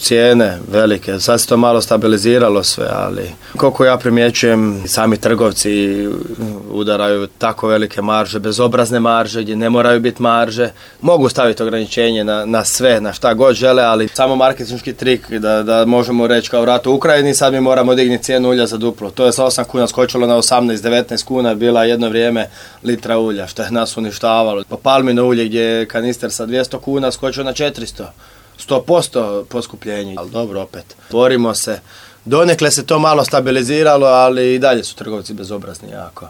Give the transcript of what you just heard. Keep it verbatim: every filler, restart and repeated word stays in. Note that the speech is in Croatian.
cijene velike, sad se to malo stabiliziralo sve, ali koliko ja primjećujem, sami trgovci udaraju tako velike marže, bezobrazne marže, gdje ne moraju biti marže. Mogu staviti ograničenje na, na sve, na šta god žele, ali samo marketinški trik da, da možemo reći kao rat u Ukrajini, sad mi moramo dignuti cijenu ulja za duplo. To je sa osam kuna skočilo na osamnaest devetnaest kuna, bila jedno vrijeme litra ulja, što je nas uništavalo. Pa palmino ulje gdje je kanister sa dvjesto kuna skočio na četiristo. sto posto poskupljenje, ali dobro, opet borimo se. Donekle se to malo stabiliziralo, ali i dalje su trgovci bezobrazni jako.